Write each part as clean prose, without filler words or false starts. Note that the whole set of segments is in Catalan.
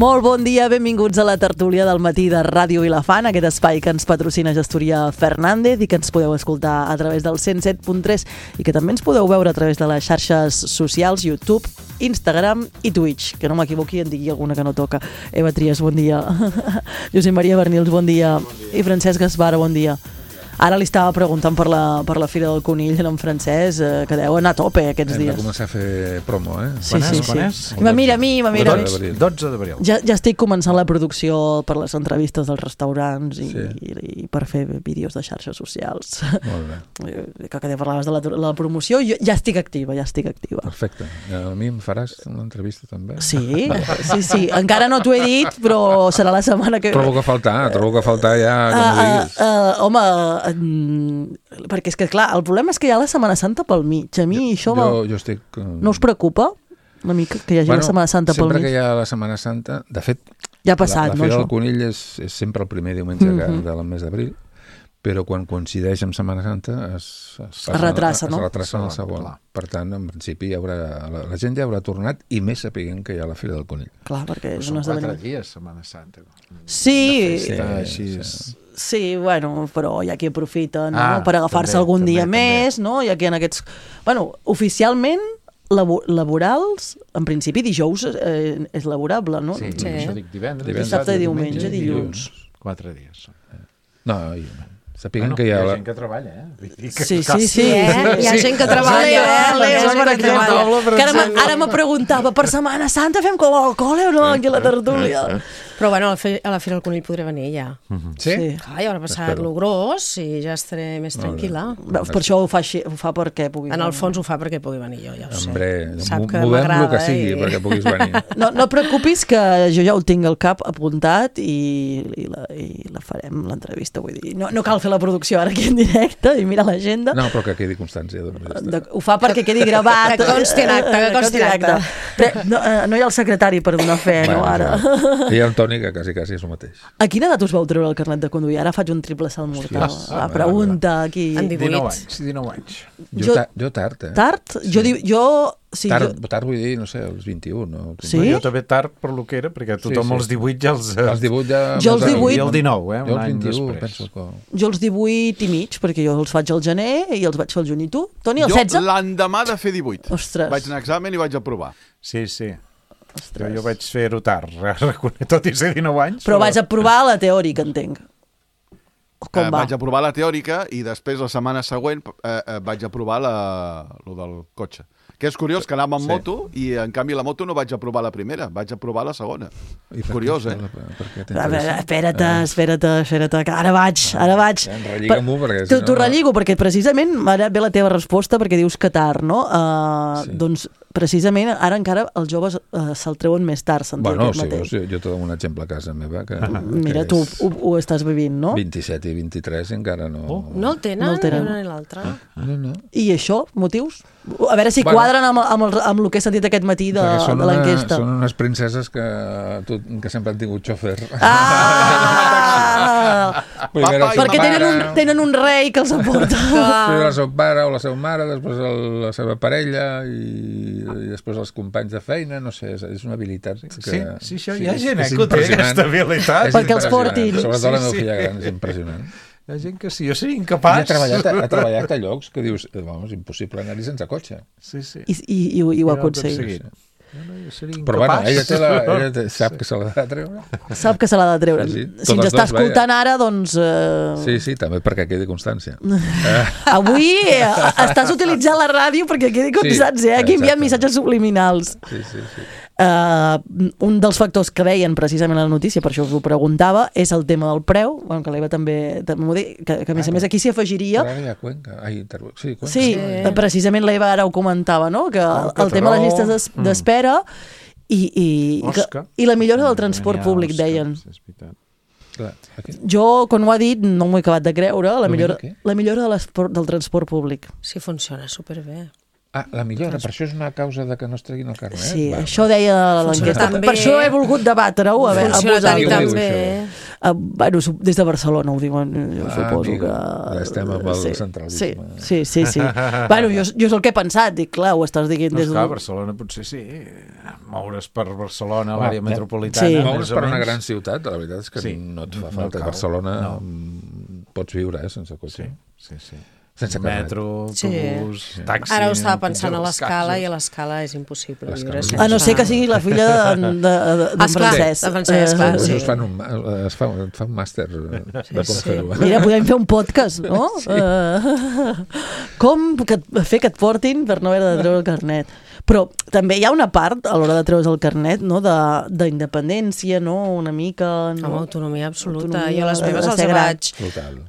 Molt bon dia, benvinguts a la tertúlia del matí de Ràdio Vilafant, aquest espai que ens patrocina Gestoria Fernández i que ens podeu escoltar a través del 107.3 i que també ens podeu veure a través de les xarxes socials, YouTube, Instagram i Twitch, que no m'equivoqui i en digui alguna que no toca. Eva Trias, bon dia. Josep Maria Bernils, bon dia. I Francesc Gaspar, bon dia. Ara li estava preguntant per la Fira del Conill en francès, que deu anar a tope aquests dies. Hem de començar a fer promo, eh? Sí. I me mira a mi. 12 d'abril. Ja estic començant la producció per les entrevistes dels restaurants i per fer vídeos de xarxes socials. Molt bé. Que parlaves de la promoció, jo ja estic activa. Perfecte. A mi em faràs una entrevista també? Sí. Encara no t'ho he dit, però serà la setmana que ve. Trobo que faltar ja que m'ho diguis. Home, perquè és que clar, el problema és que hi ha la Setmana Santa pel mig. A mi això jo estic... no us preocupa una mica que hi hagi la Setmana Santa pel mig? Sempre que hi ha la Setmana Santa, de fet, ja ha passat, la Fira del Conill és sempre el primer diumenge del mes d'abril, però quan coincideix amb Setmana Santa es retrassa, no? Es retrassa en el segon. Per tant, en principi la gent ja haurà tornat i més sapiguent que hi ha la Fira del Conill. Clar, perquè és un esdeveniment. 4 dies, Setmana Santa. Sí, bueno, però hi ha qui aprofita per agafar-se algun dia més, no? Hi ha qui en aquests... Bueno, oficialment laborals, en principi dijous és laborable, no? Sí, això dic divendres. Dissabte, diumenge, dilluns. 4 dies. No, sapiguem que hi ha... Hi ha gent que treballa, eh? Sí. Hi ha gent que treballa, Ara me preguntava, per Setmana Santa fem Coca-Cola o no aquí a la tertúlia? Però bueno, a la Fira del Conill podré venir ja. Sí? Ja haurà passat lo gros i ja estaré més tranquil·la. Per això ho fa perquè pugui venir. En el fons ho fa perquè pugui venir jo, ja ho sé. Hombre, Sap que movem m'agrada el que sigui perquè puguis venir. No et preocupis que jo ja ho tinc al cap apuntat i la farem, l'entrevista, vull dir. No cal fer la producció ara aquí en directe i mira l'agenda. No, però que quedi constància. Ho fa perquè quedi gravat. Que consti en acte. No hi ha el secretari per donar fe, no, ara. Hi ha Antoni, que quasi és el mateix. A quina edat us vau treure el carnet de conduir? Ara faig un triple salt mortal. La pregunta aquí. En 19 anys. Jo tard, eh? Tard? Tard vull dir, no sé, els 21. No? Sí? Jo també tard per lo que era, perquè tothom els 18 ja els... Els 18 ja... Jo els 18... I el 19, Jo els 21, penso que... Jo els 18 i mig, perquè jo els faig al gener i els vaig fer al juny. I tu? Toni, el 16? Jo l'endemà de fer 18. Ostres. Vaig anar a examen i vaig aprovar. Sí. Jo vaig fer-ho tard, tot i ser 19 anys. Però vaig aprovar la teòrica, entenc. Com va? Vaig aprovar la teòrica i després, la setmana següent, vaig aprovar lo del cotxe. Que és curiós, que anàvem amb moto i, en canvi, la moto no vaig aprovar la primera, vaig aprovar la segona. Curiós, eh? Espera't, que ara vaig. Relliga-m'ho, perquè... T'ho relligo, perquè precisament ara ve la teva resposta, perquè dius que tard, no? Doncs, precisament, ara encara els joves se'l treuen més tard, sentir aquest mateix. Jo te dono un exemple a casa meva. Mira, tu ho estàs vivint, no? 27 i 23 encara no... No el tenen, ni una ni l'altra. No. I això, motius? A veure si quadren amb el que he sentit aquest matí de l'enquesta. Són unes princeses que sempre han tingut xòfer. Perquè tenen un rei que els aporta. Primer el seu pare o la seva mare, després la seva parella i després els companys de feina, no sé, és una habilitat. Sí, això hi ha gent que té aquesta habilitat. Perquè els portin. Sobretot la meva filla gran, és impressionant. Hi ha gent que sí, jo seria incapaç. Ha treballat a llocs que dius, és impossible anar-hi sense cotxe. Sí. I ho ha aconseguit. Però bueno, ella sap que se l'ha de treure. Sap que se l'ha de treure. Si ens està escoltant ara, doncs... Sí, també perquè quedi constància. Avui estàs utilitzant la ràdio perquè quedi constància, aquí enviem missatges subliminals. Sí. Un dels factors que deien precisament a la notícia, per això us ho preguntava, és el tema del preu, que l'Eva també m'ho diu, que a més més aquí s'hi afegiria... Però ara hi ha Cuenca. Cuenca. Sí, precisament l'Eva ara ho comentava, no? Que el tema de les llistes d'espera i la millora del transport públic, deien. Jo, quan ho ha dit, no m'ho he acabat de creure, la millora del transport públic. Sí, funciona superbé. La millora, per això és una causa de que no es treguin el carnet? Sí, això deia l'enquesta. Per això he volgut debatre-ho a vosaltres. També. Bueno, des de Barcelona ho diuen, jo suposo que... Ja estem amb el centralisme. Sí. Bueno, jo és el que he pensat, dic, clar, ho estàs dient des de... Clar, Barcelona potser sí, moure's per Barcelona, l'àrea metropolitana... Moure's per una gran ciutat, la veritat és que no et fa falta. A Barcelona pots viure sense cotxe. Sí. Sense metro, autobús, taxi... Ara ho estava pensant a l'Escala i a l'Escala és impossible viure sense... A no ser que sigui la filla de Francesc. Clar, sí. Es fa un màster de com fer-ho. Mira, podem fer un podcast, no? Com fer que et portin per no haver de treure el carnet. Però també hi ha una part, a l'hora de treure's el carnet, no? d'independència, no? Una mica... No? Amb autonomia absoluta. Jo les meves els vaig...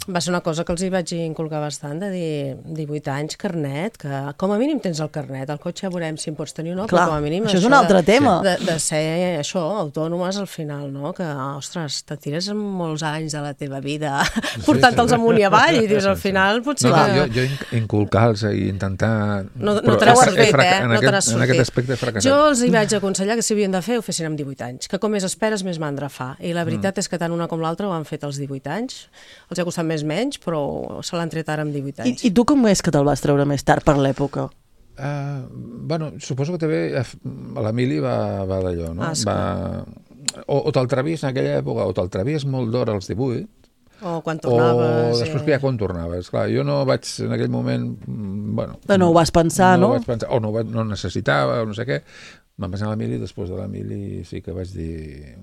Va ser una cosa que els hi vaig inculcar bastant, de dir 18 anys, carnet, que com a mínim tens el carnet. El cotxe veurem si en pots tenir o no, clar, però com a mínim... Això és un altre tema. De ser això, autònomes al final, no? Que, ostres, te tires molts anys de la teva vida portant-te'ls amunt i avall i dius, al final potser que... Jo inculcar-los i intentar... No te l'has fet, no te n'has en aquest aspecte he fracassat. Jo els hi vaig aconsellar que si havien de fer, ho fessin amb 18 anys, que com més esperes, més mandra fa. I la veritat és que tant una com l'altra ho han fet als 18 anys. Els ha costat menys, però se l'han tret ara amb 18 anys. I tu com és que te'l vas treure més tard per l'època? Bueno, suposo que també l'Emili va d'allò, no? O te'l trevies en aquella època, o te'l trevies molt d'hora als 18, o quan tornaves... O després que ja quan tornaves. Clar, jo no vaig en aquell moment... Bueno, no ho vas pensar, no? O no necessitava, o no sé què. Vam passar a l'Emili, després de l'Emili sí que vaig dir...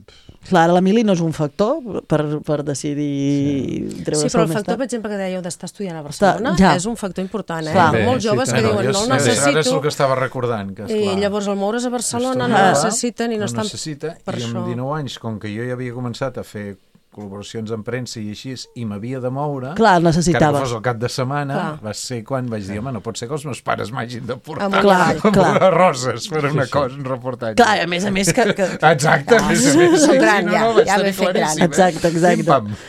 Clar, l'Emili no és un factor per decidir treure-se'l més tard. Sí, però el factor, per exemple, que dèieu d'estar estudiant a Barcelona és un factor important, eh? Hi ha molts joves que diuen, no el necessito... Ara és el que estava recordant. I llavors al moure's a Barcelona no necessiten i no estan per això. I amb 19 anys, com que jo ja havia començat a fer col·laboracions en premsa i així, i m'havia de moure... Clar, necessitava. Que no fos el cap de setmana, va ser quan vaig dir, home, no pot ser que els meus pares m'hagin de portar amb roses per una cosa, un reportatge. Clar, a més que... Exacte, a més. Som gran, ja m'he fet gran. Exacte.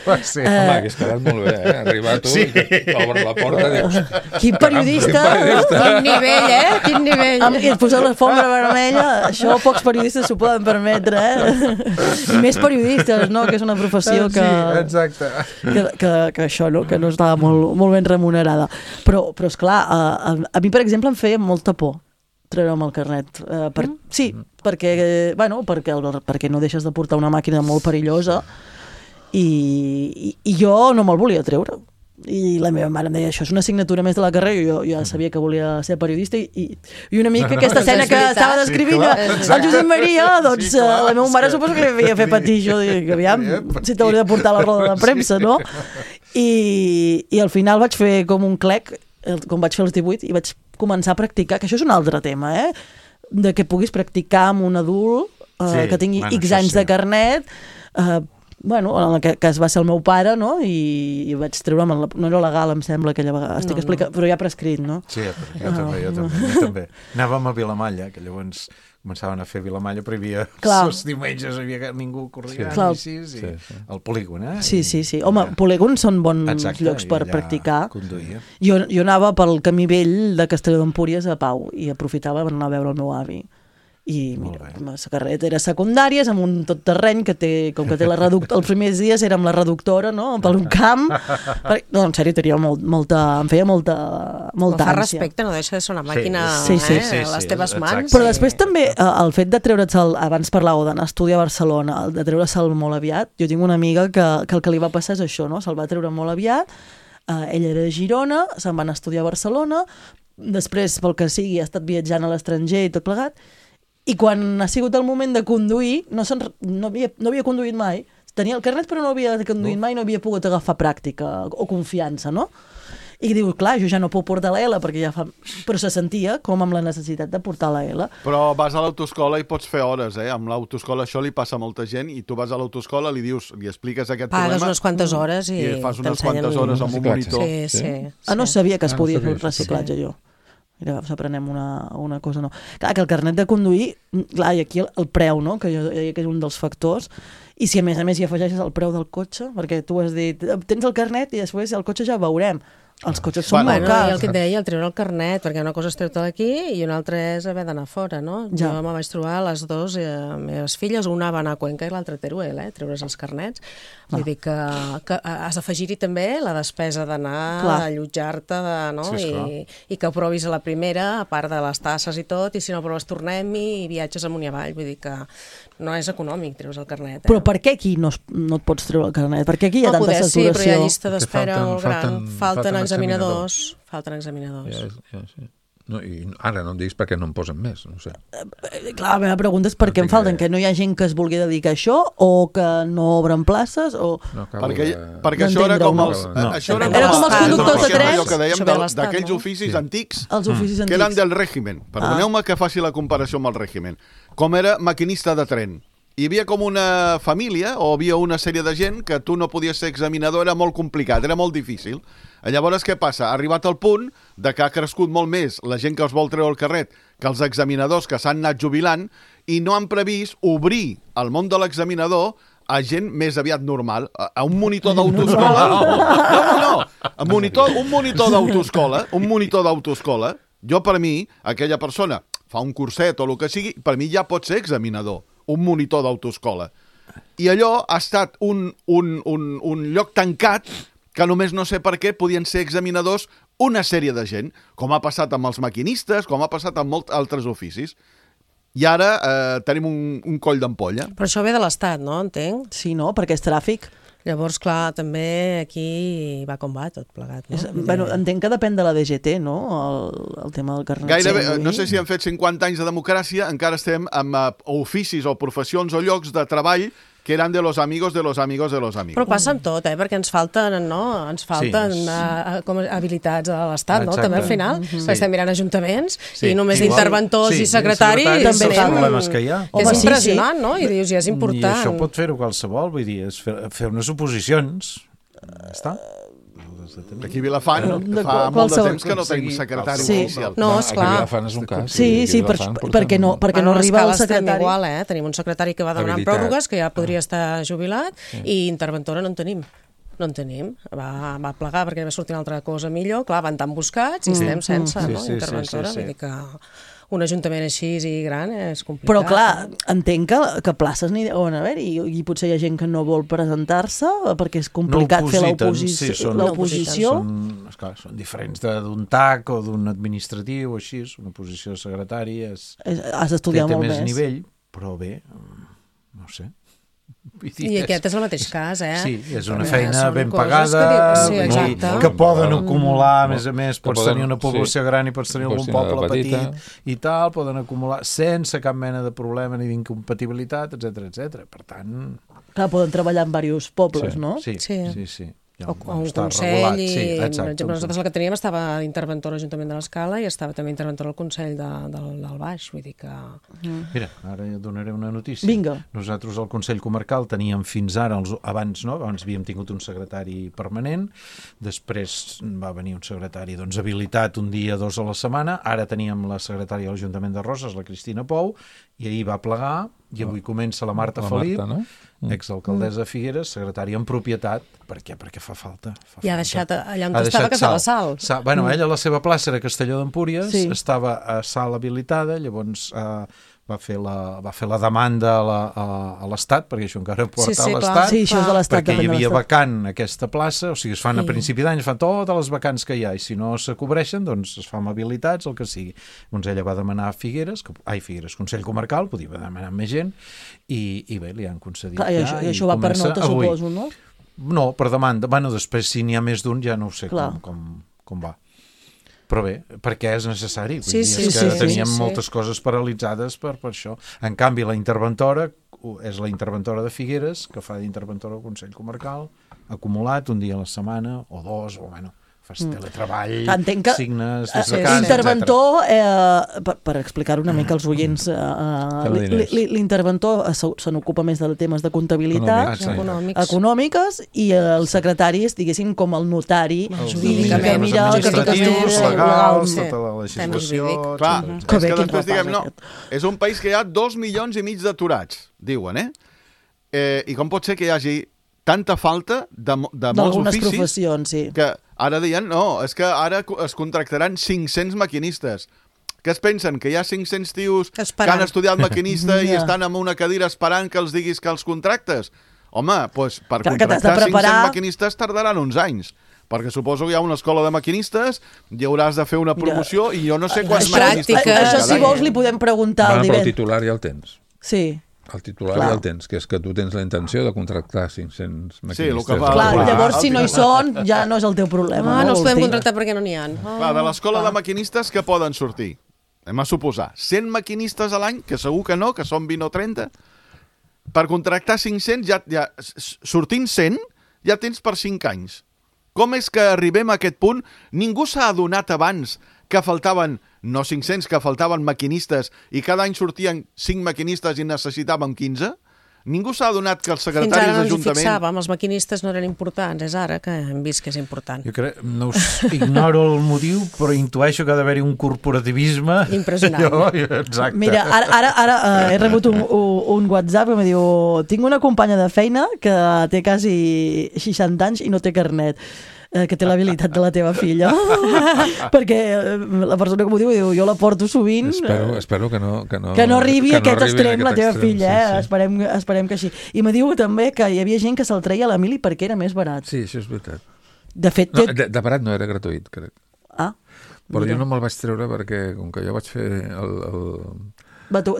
Va ser. Home, hagués quedat molt bé, arribar tu i t'obre la porta i dius... Quin periodista! Quin nivell, eh? Quin nivell! I et poseu la alfombra vermella, això pocs periodistes s'ho poden permetre, I més periodistes, no?, que és una professió que això, no? Que no estava molt ben remunerada. Però esclar, a mi, per exemple, em feia molta por treure'm el carnet. Sí, perquè no deixes de portar una màquina molt perillosa i jo no me'l volia treure. I la meva mare em deia, això és una assignatura més de la carrera, jo ja sabia que volia ser periodista i una mica aquesta escena que estava descrivint el Josep Maria, doncs la meva mare suposo que li havia fet patir això, que aviam, si t'hauria de portar la roda de premsa, no? I al final vaig fer com un clec, com vaig fer els 18, i vaig començar a practicar, que això és un altre tema, de que puguis practicar amb un adult que tingui X anys de carnet, bueno, en aquest cas va ser el meu pare, no? I vaig treure, no era legal, em sembla, aquella vegada, estic explicant, però ja prescrit, no? Sí, jo també. Anàvem a Vilamalla, que llavors començaven a fer Vilamalla, però hi havia els diumenges, ningú corria, al polígon, eh? Sí. Home, polígons són bons llocs per practicar. Jo anava pel camí vell de Castelló d'Empúries a Pau i aprofitava per anar a veure el meu avi. I mira, la carrera era secundàries amb un tot terreny que té la reductora, els primers dies era amb la reductora, no? Per un camp, no, en sèrio, tenia em feia molta ànsia. Fa respecte, no deixa de ser una màquina a les teves mans. Però després també el fet de treure'l, abans parlàveu d'anar a estudiar a Barcelona, de treure'l molt aviat, jo tinc una amiga que el que li va passar és això, no? Se'l va treure molt aviat, ella era de Girona, se'n va anar a estudiar a Barcelona, després, pel que sigui, ha estat viatjant a l'estranger i tot plegat. I quan ha sigut el moment de conduir, no havia conduït mai. Tenia el carnet, però no havia conduït mai, no havia pogut agafar pràctica o confiança, no? I diu, clar, jo ja no puc portar la L, perquè ja fa... Però se sentia com amb la necessitat de portar la L. Però vas a l'autoescola i pots fer hores, eh? Amb l'autoescola això li passa a molta gent i tu vas a l'autoescola, li expliques aquest problema... Pagues unes quantes hores i fas unes quantes hores amb un monitor. Sí. No sabia que es podia fer un reciclatge, jo. Mira, aprenem una cosa, no. Clar, que el carnet de conduir, clar, i aquí el preu, no?, que jo deia que és un dels factors, i si a més hi afegeixes el preu del cotxe, perquè tu has dit, tens el carnet i després el cotxe ja veurem. Els cotxes són molt cars. I el que et deia, el treure el carnet, perquè una cosa és treure-te'l aquí i una altra és haver d'anar fora, no? Jo me vaig trobar les dues meves filles, una va anar a Cuenca i l'altra a Teruel, treure's els carnets. Vull dir que has d'afegir-hi també la despesa d'anar, d'allotjar-te, i que ho provis a la primera, a part de les tasses i tot, i si no proves tornem-hi i viatges amunt i avall. Vull dir que no és econòmic treure's el carnet. Però per què aquí no et pots treure el carnet? Per què aquí hi ha tanta saturació? Sí, però hi ha llista d'espera molt gran. Falten examinadors. No, i ara no em diguis perquè no em posen més, no sé. Clar, la meva pregunta és per què em falten, que no hi ha gent que es vulgui dedicar a això o que no obren places o... No, perquè això era com els... Era com els conductors de trens. Allò que dèiem d'aquells oficis antics que eren del règimen. Perdoneu-me que faci la comparació amb el règimen. Com era maquinista de tren. Hi havia com una família o havia una sèrie de gent que tu no podies ser examinador, era molt complicat, era molt difícil. Llavors, què passa? Ha arribat al punt de que ha crescut molt més la gent que els vol treure el carnet que els examinadors que s'han anat jubilant i no han previst obrir el món de l'examinador a gent més aviat normal, a un monitor d'autoescola. Un monitor d'autoescola, jo per mi, aquella persona fa un curset o el que sigui, per mi ja pot ser examinador, un monitor d'autoescola. I allò ha estat un lloc tancat que només no sé per què podien ser examinadors una sèrie de gent, com ha passat amb els maquinistes, com ha passat amb molts altres oficis. I ara tenim un coll d'ampolla. Però això ve de l'Estat, no? Entenc? Sí, no? Perquè és tràfic. Llavors, clar, també aquí va com va tot plegat, no? Bueno, entenc que depèn de la DGT, no? El tema del carnet. Gairebé, no sé si han fet 50 anys de democràcia, encara estem amb oficis o professions o llocs de treball que eren de los amigos de los amigos de los amigos. Però passa amb tot, perquè ens falten, no? Ens falten com habilitats a l'Estat, no? També al final, que estem mirant ajuntaments i només d'interventors i secretaris també problemes que hi ha. És impressionant, no? I dius, ja és important. I això pot fer-ho qualsevol, vull dir, és fer unes oposicions. Està? Aquí a Vilafant fa molt de temps que no tenim secretari oficial. No, esclar. Aquí a Vilafant és un cas. Sí, perquè no arriba el secretari. Igual, tenim un secretari que va demanant pròrrogues, que ja podria estar jubilat, i interventora no en tenim. No en tenim. Va plegar perquè va sortir una altra cosa millor. Clar, van tan buscats i estem sense interventora. Vull dir que un ajuntament així i gran és complicat. Però clar, entenc que places n'hi deuen haver i potser hi ha gent que no vol presentar-se perquè és complicat fer l'oposició. Són diferents d'un TAC o d'un administratiu o així, una posició de secretari has d'estudiar molt més. Té més nivell, però bé, no sé. I aquest és el mateix cas, Sí, és una feina ben pagada, que poden acumular, a més, pots tenir una població gran i pots tenir algun poble petit i tal, poden acumular sense cap mena de problema ni d'incompatibilitat, etc. Per tant... Clar, poden treballar en diversos pobles, no? Sí. O un consell, per exemple, nosaltres el que teníem estava interventor a l'Ajuntament de l'Escala i estava també interventor al Consell del Baix, vull dir que... Mira, ara donaré una notícia. Vinga. Nosaltres al Consell Comarcal teníem fins ara, abans havíem tingut un secretari permanent, després va venir un secretari habilitat un dia, 2 a la setmana, ara teníem la secretària de l'Ajuntament de Roses, la Cristina Pou, i ahir va plegar, i avui comença la Marta Felip, exalcaldessa de Figueres, secretària en propietat. Per què? Perquè fa falta. I ha deixat allà on estava, que estava Sal. Bueno, ella, la seva plaça era Castelló d'Empúries, estava a Sal habilitada, llavors va fer la demanda a l'Estat, perquè això encara porta a l'Estat, perquè hi havia vacant aquesta plaça, o sigui, es fan a principi d'any, es fan totes les vacants que hi ha, i si no se cobreixen, doncs es fan habilitats, el que sigui. Doncs ella va demanar a Figueres, Consell Comarcal, podia demanar més gent, i bé, li han concedit. I això va per nota, suposo, no? No, per demanda. Bueno, després, si n'hi ha més d'un, ja no ho sé com va. Però bé, perquè és necessari. Teníem moltes coses paralitzades per això. En canvi, la interventora és la interventora de Figueres, que fa d'interventora al Consell Comarcal, acumulat un dia a la setmana, o 2, o bueno, fas teletreball, signes... L'interventor, per explicar-ho una mica als oients, l'interventor se n'ocupa més de temes de comptabilitat, econòmiques, i el secretari és, diguéssim, com el notari, que mira administratius, legals, tota la legislació... Clar, és que després diguem, no, és un país que hi ha 2,5 milions d'aturats, diuen, I com pot ser que hi hagi tanta falta de molts oficis professions, que Ara deien, no, és que ara es contractaran 500 maquinistes. Què es pensen? Que hi ha 500 tios que han estudiat maquinista i estan en una cadira esperant que els diguis que els contractes? Home, doncs per contractar 500 maquinistes tardaran uns anys. Perquè suposo que hi ha una escola de maquinistes i hauràs de fer una promoció i jo no sé quants maquinistes... Això, si vols, li podem preguntar al divendres. Però el titular ja el tens. Sí. El titular ja el tens, que és que tu tens la intenció de contractar 500 maquinistes. Sí, clar, llavors si no hi són, ja no és el teu problema. No els podem contractar perquè no n'hi ha. Clar, de l'escola de maquinistes que poden sortir? Anem a suposar, 100 maquinistes a l'any, que segur que no, que són 20 o 30, per contractar 500, sortint 100, ja tens per 5 anys. Com és que arribem a aquest punt? Ningú s'ha adonat abans que faltaven, no 500, que faltaven maquinistes i cada any sortien 5 maquinistes i necessitàvem 15? Ningú s'ha adonat que els secretaris d'Ajuntament... Fins ara no ens hi fixàvem, els maquinistes no eren importants, és ara que hem vist que és important. Jo crec, no ignoro el motiu, però intueixo que ha d'haver-hi un corporativisme... Impressionant. Exacte. Mira, ara he rebut un WhatsApp que em diu: tinc una companya de feina que té quasi 60 anys i no té carnet. Que té l'habilitat de la teva filla. Perquè la persona que m'ho diu, jo la porto sovint. Espero que no arribi a aquest extrem la teva filla. Sí. Esperem que així. I me diu també que hi havia gent que se'l treia a l'Emili perquè era més barat. Sí, això és veritat. De fet... De barat no, era gratuït, crec. Ah. Però jo no me'l vaig treure perquè, com que jo vaig fer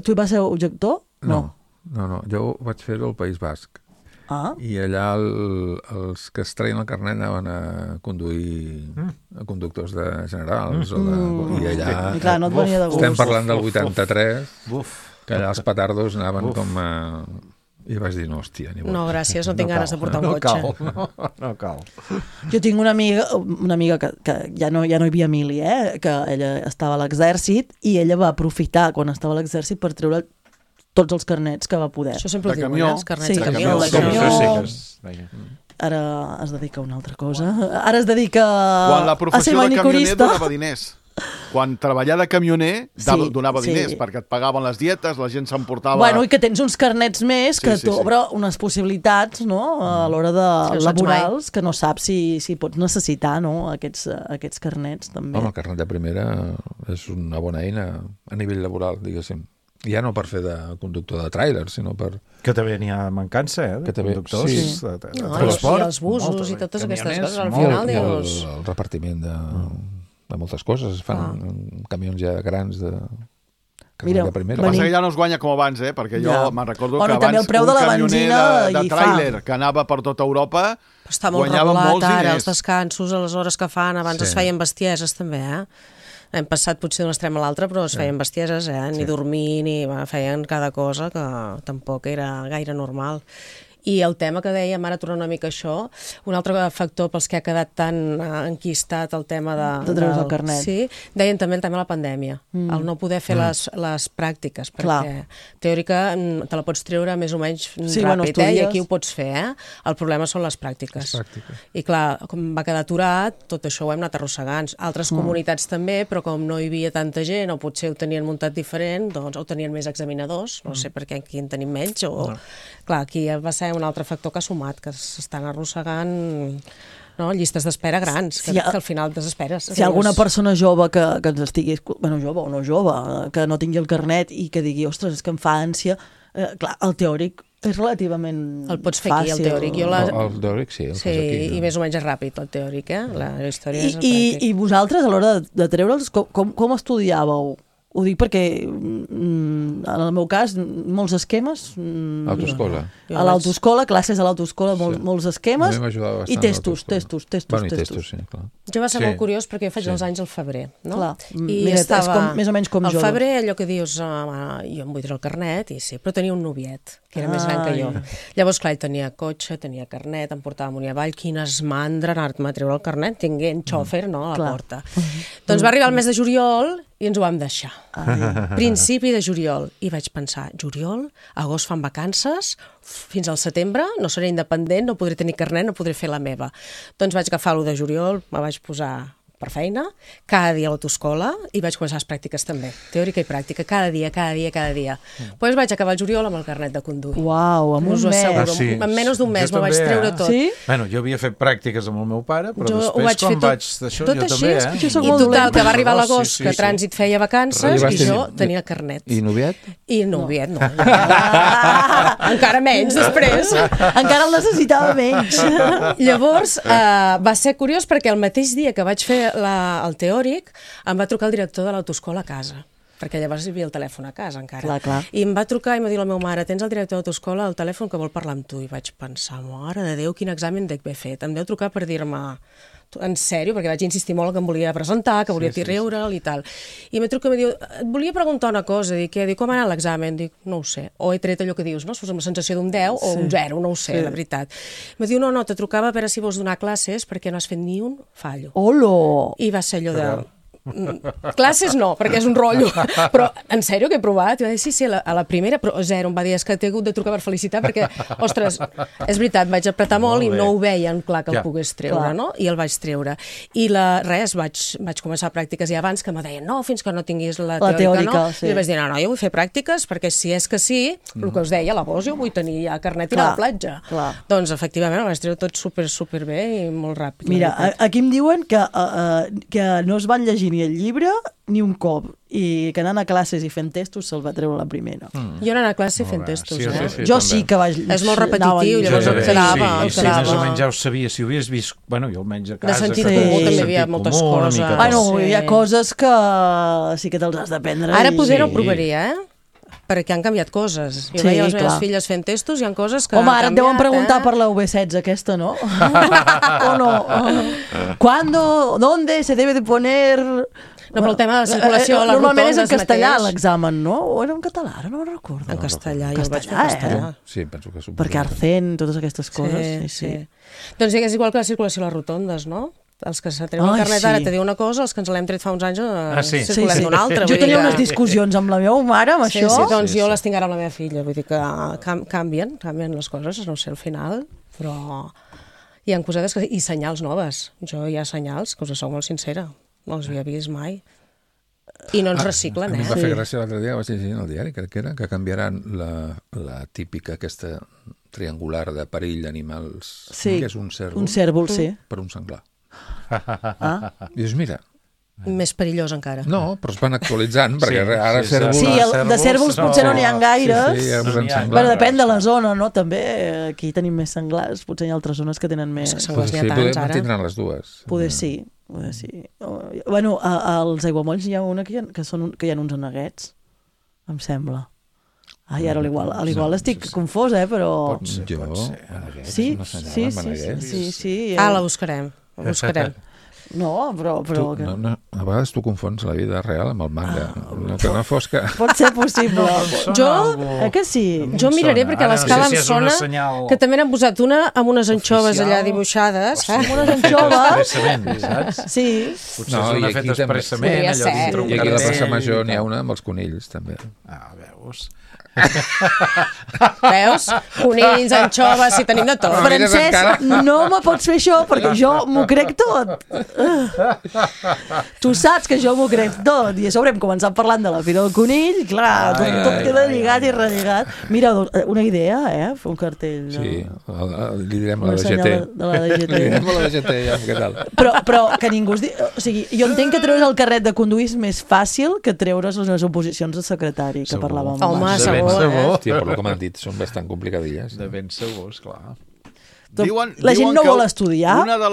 Tu vas ser objector? No. Jo vaig fer-ho al País Basc. I allà els que es treien el carnet anaven a conduir a conductors de generals i allà clar, no et venia de gust. Estem parlant del 83 que allà els petardos anaven com i vaig dir, no, hòstia, no, gràcies, no tinc ganes de portar un cotxe. No cal. Jo tinc una amiga que ja no hi havia Emili, que ella estava a l'exèrcit i ella va aprofitar quan estava a l'exèrcit per treure tots els carnets que va poder. Això sempre ho diuen, els carnets de camió. Ara es dedica a una altra cosa. Ara es dedica quan la a ser professió de camioner manicurista. donava diners. Quan treballar de camioner donava diners, perquè et pagaven les dietes, la gent s'emportava... Bueno, i que tens uns carnets més que t'obre unes possibilitats, no?, a l'hora de laborals, que no saps si pots necessitar, no?, aquests carnets, també. Home, el carnet de primera és una bona eina a nivell laboral, diguéssim. Ja no per fer de conductor de tràiler, sinó per... Que també n'hi ha mancança, de conductors de transport. I els busos i totes aquestes coses, al final dius... El repartiment de moltes coses, es fan camions ja grans de... Mira, el que passa que ja no es guanya com abans, perquè jo me'n recordo que abans un camioner de tràiler que anava per tota Europa guanyava molts diners. Els descansos, a les hores que fan, abans es feien bestieses també, Hem passat potser d'un extrem a l'altre, però es feien bestieses, ni dormir, ni feien cada cosa que tampoc era gaire normal. I el tema que dèiem, ara tornant una mica a això, un altre factor pels que ha quedat tan enquistat el tema de treure's el carnet. Sí, deien també el tema de la pandèmia, el no poder fer les pràctiques, perquè teòrica te la pots treure més o menys ràpid, i aquí ho pots fer, El problema són les pràctiques. I clar, com va quedar aturat, tot això ho hem anat arrossegant. Altres comunitats també, però com no hi havia tanta gent, o potser ho tenien muntat diferent, doncs ho tenien més examinadors, no sé per què aquí en tenim menys, o... Clar, aquí va ser un altre factor que ha sumat, que s'estan arrossegant llistes d'espera grans, que al final desesperes. Si hi ha alguna persona jove que ens estigui... jove o no jove, que no tingui el carnet i que digui, ostres, és que em fa ànsia... Clar, el teòric és relativament fàcil. El pots fer aquí, el teòric. El teòric sí, el fas aquí. I més o menys és ràpid, el teòric, La història és el pràctic. I vosaltres, a l'hora de treure'ls, com estudiàveu? Ho dic perquè, en el meu cas, molts esquemes... Autoescola. A l'autoscola, classes a l'autoscola, molts esquemes, i testos. Bueno, i testos, sí, clar. Jo va ser molt curiós perquè jo faig els anys al febrer, no? Clar, és més o menys com jo. Al febrer, allò que dius, jo em vull treure el carnet, però tenia un noviet, que era més gran que jo. Llavors, clar, ell tenia cotxe, tenia carnet, em portava amunt i avall, quines mandra anar-me a treure el carnet, tinguent xòfer, no?, a la porta. Doncs va arribar el mes de juliol i ens ho vam deixar. Principi de juliol. I vaig pensar, juliol, agost fan vacances, fins al setembre no seré independent, no podré tenir carnet, no podré fer la meva. Doncs vaig agafar l'1 de juliol, me vaig posar per feina, cada dia a l'autoscola, i vaig començar les pràctiques també, teòrica i pràctica, cada dia. Després vaig acabar el juliol amb el carnet de conduir. Uau, en un mes. En menys d'un mes me'l vaig treure tot. Sí? Bueno, jo havia fet pràctiques amb el meu pare, però després quan vaig d'això jo també, I total, que va arribar l'agost, que Trànsit feia vacances, i jo tenia carnet. I noviet? I noviet, no. Encara menys, després. Encara el necessitava menys. Llavors, va ser curiós perquè el mateix dia que vaig fer el teòric em va trucar el director de l'autoscola a casa, perquè llavors hi havia el telèfon a casa encara. Clar. I em va trucar i em va dir la meva mare, tens el director de l'autoscola al telèfon que vol parlar amb tu. I vaig pensar, mare de Déu, quin examen dec haver fet. Em deu trucar per dir-me, en sèrio, perquè vaig insistir molt que em volia presentar, que volia riure'l i tal. I em truca i em diu, et volia preguntar una cosa, dic, com ha anat l'examen? Dic, no ho sé. O he tret allò que dius, no? Amb la sensació d'un 10 o un 0, no ho sé, la veritat. Em diu, no, te trucava a veure si vols donar classes perquè no has fet ni un fallo. Olo! I va ser allò de... Classes no, perquè és un rotllo, però en sèrio que he provat? I va dir, sí, a la primera, però 0, em va dir, és que t'he hagut de trucar per felicitar perquè, ostres, és veritat, vaig apretar molt i no ho veien clar que el pogués treure, no? I el vaig treure. I vaig començar pràctiques i abans que me deien, no, fins que no tinguis la teòrica, no? I vaig dir, no, jo vull fer pràctiques perquè si és que sí, el que us deia, la voz, jo vull tenir ja carnet i anar a la platja. Doncs, efectivament, el vaig treure tot super bé i molt ràpid. Mira, aquí em diuen que no es van llegir ni el llibre ni un cop, i que anant a classes i fent testos se'l va treure la primera. Jo anant a classe fent testos, Jo sí que vaig... És molt repetitiu, llavors em quedava. Sí, més o menys ja ho sabia, si ho havies vist, bueno, jo almenys a casa... De sentit comú també hi havia moltes coses. Bueno, hi ha coses que sí que te'ls has d'aprendre. Ara poder no ho provaria, perquè han canviat coses. Jo veia les meves filles fent testos i hi ha coses que han canviat. Home, ara et deuen preguntar per la V16 aquesta, no? O no? ¿Cuándo? ¿Dónde se debe de poner...? No, però el tema de la circulació, les normalment és en rotondes castellà mateix. l'examen, no? O era en català? Ara no ho recordo. En castellà, jo el vaig fer en castellà. Sí, penso que suposo. Perquè Arcén, totes aquestes coses. Sí. Doncs és igual que la circulació a les rotondes, no? Els que se treuen el carnet ara te diu una cosa, els que ens l'hem tret fa uns anys circulem d'una altra. Jo tenia unes discussions amb la meva mare amb això. Sí, doncs jo les tinc ara amb la meva filla, vull dir que canvien les coses, no sé, al final, però hi ha cosetes i senyals noves. Jo hi ha senyals, que us soc molt sincera, no els havia vist mai. I no ens reciclen, A mi em va fer gràcia l'altre dia, vaig llegir el diari, crec que era, que canviaran la típica aquesta triangular de perill d'animals, que és un cèrvol. Un cèrvol, sí. Per un senglar. I dius, mira... Més perillós encara. No, però es van actualitzant, perquè ara cèrvols... Sí, de cèrvols potser no n'hi ha gaires. Bueno, depèn de la zona, no? També aquí tenim més senglars, potser hi ha altres zones que tenen més... Senglars n'hi ha tants, ara. Tindran les dues. Poder sí. Bueno, als aiguamolls hi ha una que hi ha uns aneguets, em sembla. Ai, ara igual estic confosa, però... Jo? Sí. La buscarem. No, però... A vegades tu confons la vida real amb el manga. Que no fos que... Pot ser possible. Que sí? Jo miraré perquè a l'escala em sona que també n'han posat una amb unes anxoves allà dibuixades. Amb unes anxoves? Saps? Sí. Potser és una feta expressament, allò dintre un I aquí a la plaça cartell. Major n'hi ha una amb els conills, també. Veus? Veus? Conills, anxoves, si tenim de tot. Francesc, no me pots fer això perquè jo m'ho crec tot. Tu saps que jo m'ho crec tot. I a sobre hem començat parlant de la Fira del Conill. Clar, tot queda lligat i relligat. Mira, una idea, fer un cartell. Sí, li direm a la DGT. Li direm a la DGT, ja, què tal? Però que ningú es digui... O sigui, jo entenc que treure's el carnet de conduir és més fàcil que treure's les oposicions de secretari, que parlàvem abans. Home, segur. Hòstia, per lo que m'han dit, són bastant complicadilles. De ben segurs, clar. La gent no vol estudiar. Una de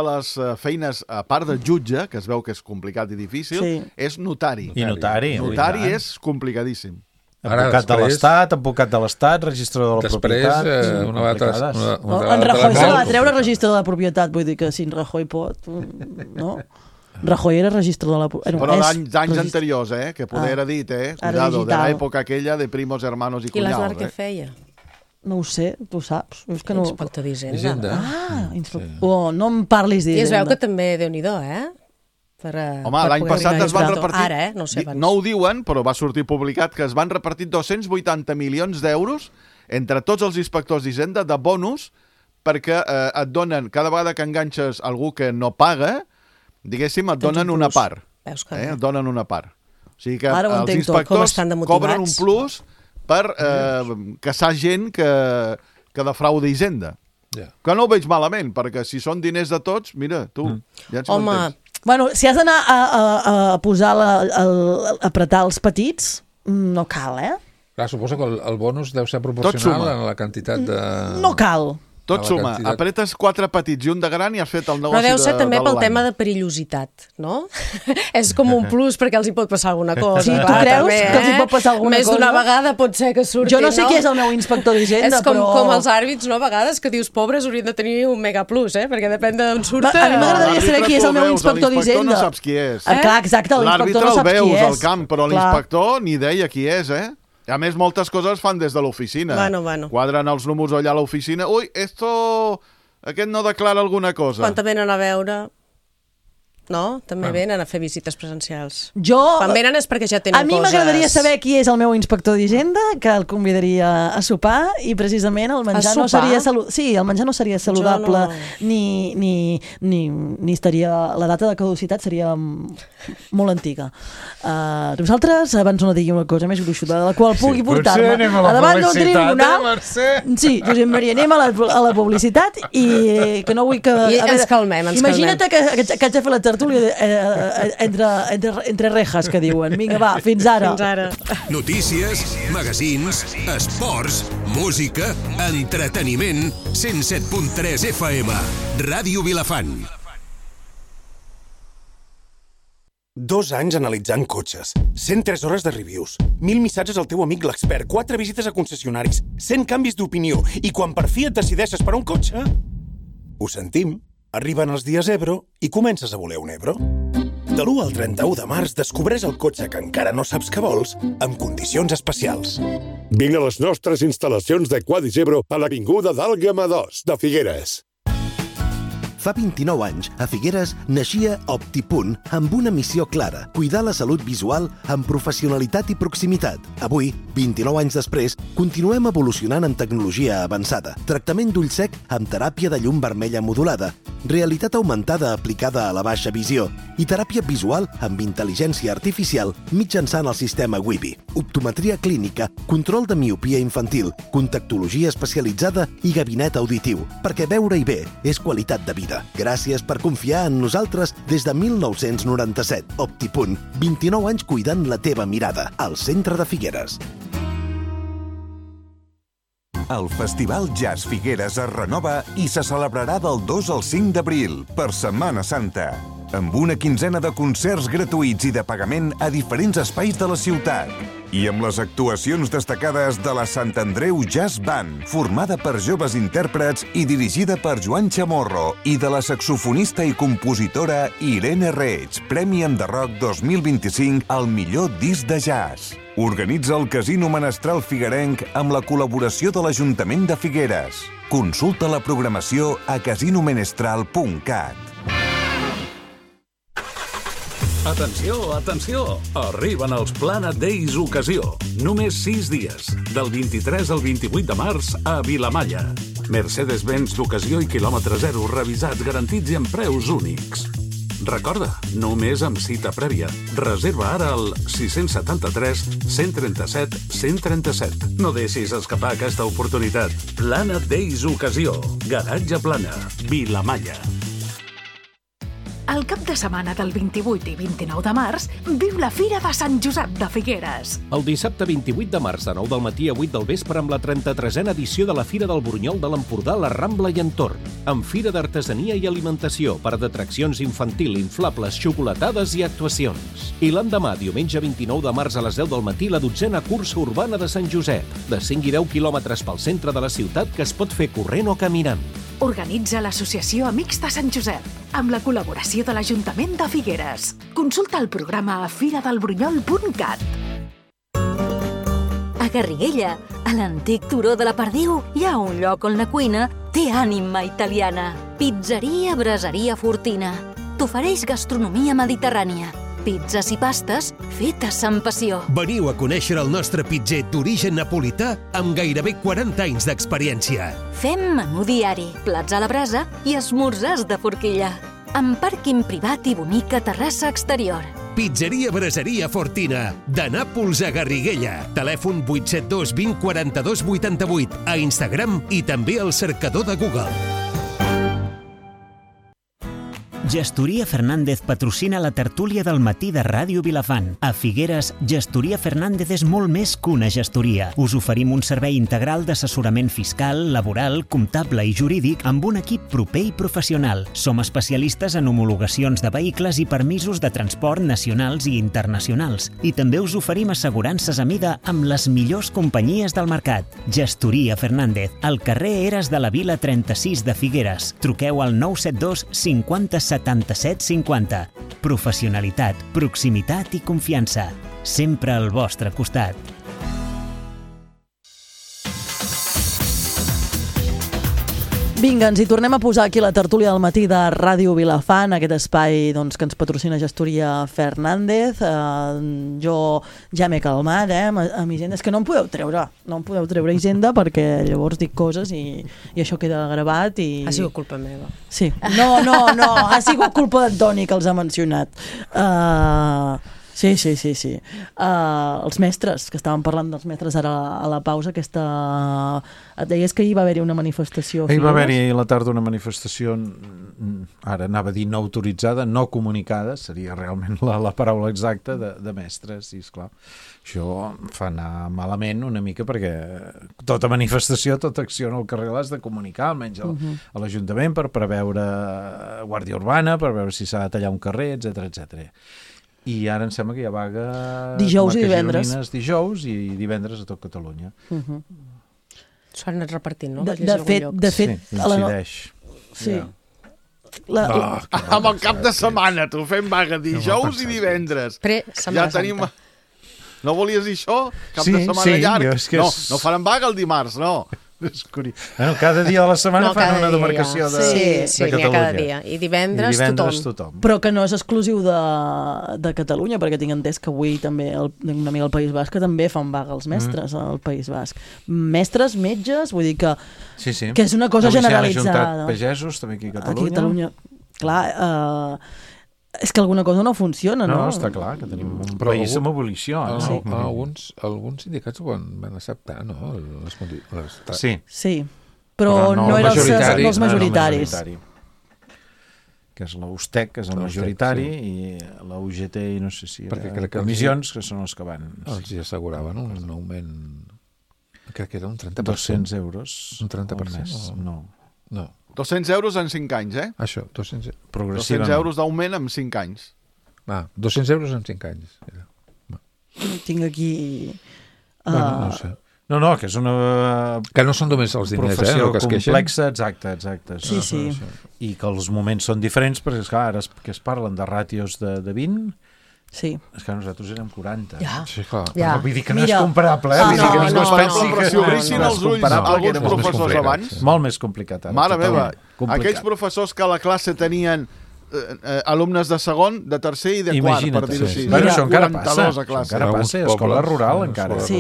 les feines, a part de jutge, que es veu que és complicat i difícil, és notari. I notari. Notari és complicadíssim. Advocat de l'Estat, registrador de la propietat... Després, una vegada... En Rajoy se va treure registre de la propietat, vull dir que si en Rajoy pot... No? Rajoy era registrador de la propietat. Però d'anys anteriors, que poder era dit, cuidado, de l'època aquella de primos, hermanos i cunyaus. I l'Aznar què feia? No ho sé, tu saps. Inspector d'Hisenda. No em parlis d'Hisenda. I es veu que també, Déu-n'hi-do, Home, l'any passat es van repartir... Ara, no sé abans. No ho diuen, però va sortir publicat que es van repartir 280 milions d'euros entre tots els inspectors d'Hisenda de bonus perquè et donen, cada vegada que enganxes algú que no paga, diguéssim, et donen una part. Et donen una part. O sigui que els inspectors cobren un plus per caçar gent que defrauda Hisenda. Que no ho veig malament, perquè si són diners de tots, mira, tu, ja ens m'entens. Bueno, si has d'anar a posar, a apretar els petits, no cal, Clar, suposo que el bonus deu ser proporcional a la quantitat de... No cal. Tot suma. Apretes 4 petits i un de gran i has fet el negoci de l'any. Però deu ser també pel tema de perillositat, no? És com un plus perquè els hi pot passar alguna cosa. Sí, tu creus que els hi pot passar alguna cosa? Més d'una vegada pot ser que surti, Jo no sé qui és el meu inspector d'Hisenda, però... És com els àrbits, no? A vegades que dius pobres haurien de tenir un mega plus, perquè depèn d'on surten. A mi m'agradaria saber qui és el meu inspector d'Hisenda. L'inspector no saps qui és. Clar, exacte, l'inspector no saps qui és. L'àrbitre el veus al camp, però l'inspector ni idea qui és, A més, moltes coses fan des de l'oficina. Bueno. Quadren els números allà a l'oficina. Ui, aquest no declara alguna cosa. Quan te venen a veure... No? També venen a fer visites presencials. Quan venen és perquè ja tenen coses... A mi m'agradaria saber qui és el meu inspector d'Hisenda, que el convidaria a sopar, i precisament el menjar no seria el menjar no seria saludable, ni estaria... La data de caducitat seria molt antiga. Nosaltres, abans no digui una cosa més gruixuda, de la qual pugui portar-me a davant d'un tribunal... Sí, Josep Maria, anem a la publicitat i que no vull que... I ens calmem, Imagina't que haig de fer la tertúlia entre rejas, que diuen. Vinga, va, fins ara. Notícies, magazins, esports, música, entreteniment, 107.3 FM, Ràdio Vilafant. 2 anys analitzant cotxes, 103 hores de reviews, 1.000 missatges al teu amic l'expert, 4 visites a concessionaris, 100 canvis d'opinió, i quan per fi et decideixes per un cotxe, ho sentim. Arriben els dies Ebro i comences a voler un Ebro. De l'1 al 31 de març descobreix el cotxe que encara no saps que vols amb condicions especials. Vine a les nostres instal·lacions de Quadis Ebro a l'Avinguda d'Àlgama 2 de Figueres. Fa 29 anys, a Figueres, naixia Optipunt amb una missió clara, cuidar la salut visual amb professionalitat i proximitat. Avui, 29 anys després, continuem evolucionant amb tecnologia avançada, tractament d'ull sec amb teràpia de llum vermella modulada, realitat augmentada aplicada a la baixa visió i teràpia visual amb intel·ligència artificial mitjançant el sistema Wibi, optometria clínica, control de miopia infantil, contactologia especialitzada i gabinet auditiu, perquè veure-hi bé és qualitat de vida. Gràcies per confiar en nosaltres des de 1997. Optipunt, 29 anys cuidant la teva mirada, al centre de Figueres. El Festival Jazz Figueres es renova i se celebrarà del 2 al 5 d'abril, per Setmana Santa, amb una quinzena de concerts gratuïts i de pagament a diferents espais de la ciutat. I amb les actuacions destacades de la Sant Andreu Jazz Band, formada per joves intèrprets i dirigida per Joan Chamorro, i de la saxofonista i compositora Irene Reig, Premi Enderroc 2025 al millor disc de jazz. Organitza el Casino Menestral Figuerenc amb la col·laboració de l'Ajuntament de Figueres. Consulta la programació a casinomenestral.cat. Atenció, atenció! Arriben els Planet Days Ocasió. Només 6 dies, del 23 al 28 de març a Vilamalla. Mercedes-Benz d'ocasió i quilòmetre zero, revisats, garantits i amb preus únics. Recorda, només amb cita prèvia. Reserva ara al 673 137 137. No deixis escapar aquesta oportunitat. Planet Days Ocasió. Garatge Plana. Vilamalla. El cap de setmana del 28 i 29 de març, viu la Fira de Sant Josep de Figueres. El dissabte 28 de març, de 9 del matí a 8 del vespre, amb la 33a edició de la Fira del Burunyol de l'Empordà, la Rambla i entorn, amb fira d'artesania i alimentació, parc d'atraccions infantil, inflables, xocolatades i actuacions. I l'endemà, diumenge 29 de març a les 10 del matí, la 12a cursa urbana de Sant Josep, de 5 i 10 quilòmetres pel centre de la ciutat que es pot fer corrent o caminant. Organitza l'associació Amics de Sant Josep, amb la col·laboració de l'Ajuntament de Figueres. Consulta el programa a firadelburunyol.cat. A Garriguella, a l'antic turó de la Perdiu, hi ha un lloc on la cuina té ànima italiana. Pizzeria Braseria Fortina. T'ofereix gastronomia mediterrània. Pizzas i pastes fetes amb passió. Veniu a conèixer el nostre pitzer d'origen napolità amb gairebé 40 anys d'experiència. Fem menú diari, plats a la brasa i esmorzars de forquilla. amb pàrquing privat i bonica terrassa exterior. Pizzeria Braseria Fortina, de Nàpols a Garriguella. Telèfon 872 20 42 88, a Instagram i també al cercador de Google. Gestoria Fernández patrocina la tertúlia del matí de Ràdio Vilafant. A Figueres, Gestoria Fernández és molt més que una gestoria. Us oferim un servei integral d'assessorament fiscal, laboral, comptable i jurídic amb un equip proper i professional. Som especialistes en homologacions de vehicles i permisos de transport nacionals i internacionals. I també us oferim assegurances a mida amb les millors companyies del mercat. Gestoria Fernández, al carrer Eres de la Vila 36 de Figueres. Truqueu al 972 50 77 50. Professionalitat, proximitat i confiança. Sempre al vostre costat. Vinga, ens hi tornem a posar aquí la tertúlia del matí de Ràdio Vilafant, aquest espai que ens patrocina Gestoria Fernández. Jo ja m'he calmat, amb Hisenda. És que no em podeu treure Hisenda, perquè llavors dic coses i això queda gravat. Ha sigut culpa meva. Sí. No, ha sigut culpa d'en Toni, que els ha mencionat. Sí. Els mestres, que estàvem parlant dels mestres ara a la pausa, et deies que hi va haver-hi una manifestació. Hi va haver-hi a la tarda una manifestació, ara anava a dir no autoritzada, no comunicada, seria realment la paraula exacta, de mestres, i esclar, això fa anar malament una mica, perquè tota manifestació, tota acció al carrer l'has de comunicar, almenys a l'Ajuntament, per preveure guàrdia urbana, per veure si s'ha de tallar un carrer, etc. I ara em sembla que hi ha vaga dijous i divendres. Dijous i divendres a tot Catalunya. S'ho han anat repartint, no? De fet... Coincideix. Sí. Amb el cap de setmana, tu fem vaga dijous i divendres. Ja tenim... No volies dir això? Cap de setmana llarg? No faran vaga el dimarts, no. Cada dia de la setmana fan una demarcació de Catalunya. Sí, cada dia. I divendres tothom. Però que no és exclusiu de Catalunya, perquè tinc entès que avui també una amiga al País Basc que també fan vaga els mestres al País Basc. Mestres, metges, vull dir que és una cosa generalitzada. Pagesos també aquí a Catalunya. Clar, és que alguna cosa no funciona, no? No, està clar, que tenim un país amb abolició. Alguns sindicats ho van acceptar, no? Sí, però no eren els majoritaris. Que és la USTEC, que és el majoritari, i la UGT, i no sé si comissions, que són els que van... Els hi asseguraven un augment, crec que era un 30%. 200 euros. Un 30%? No. 200 euros en 5 anys, Això, 200 euros d'augment en 5 anys. 200 euros en 5 anys. Tinc aquí... No sé. No, que és una... Que no són només els diners, professió que es queixen. Complexa, exacte. Sí. I que els moments són diferents, perquè esclar, ara que es parlen de ràtios de 20... Sí. És que nosaltres érem 40. Sí, clar. Però vull dir que no és comparable. Però si obrissin els ulls alguns professors abans... Molt més complicat. Mare meva, aquells professors que a la classe tenien alumnes de segon, de tercer i de quart, per dir-ho així. Bueno, això encara passa, escola rural encara. Sí,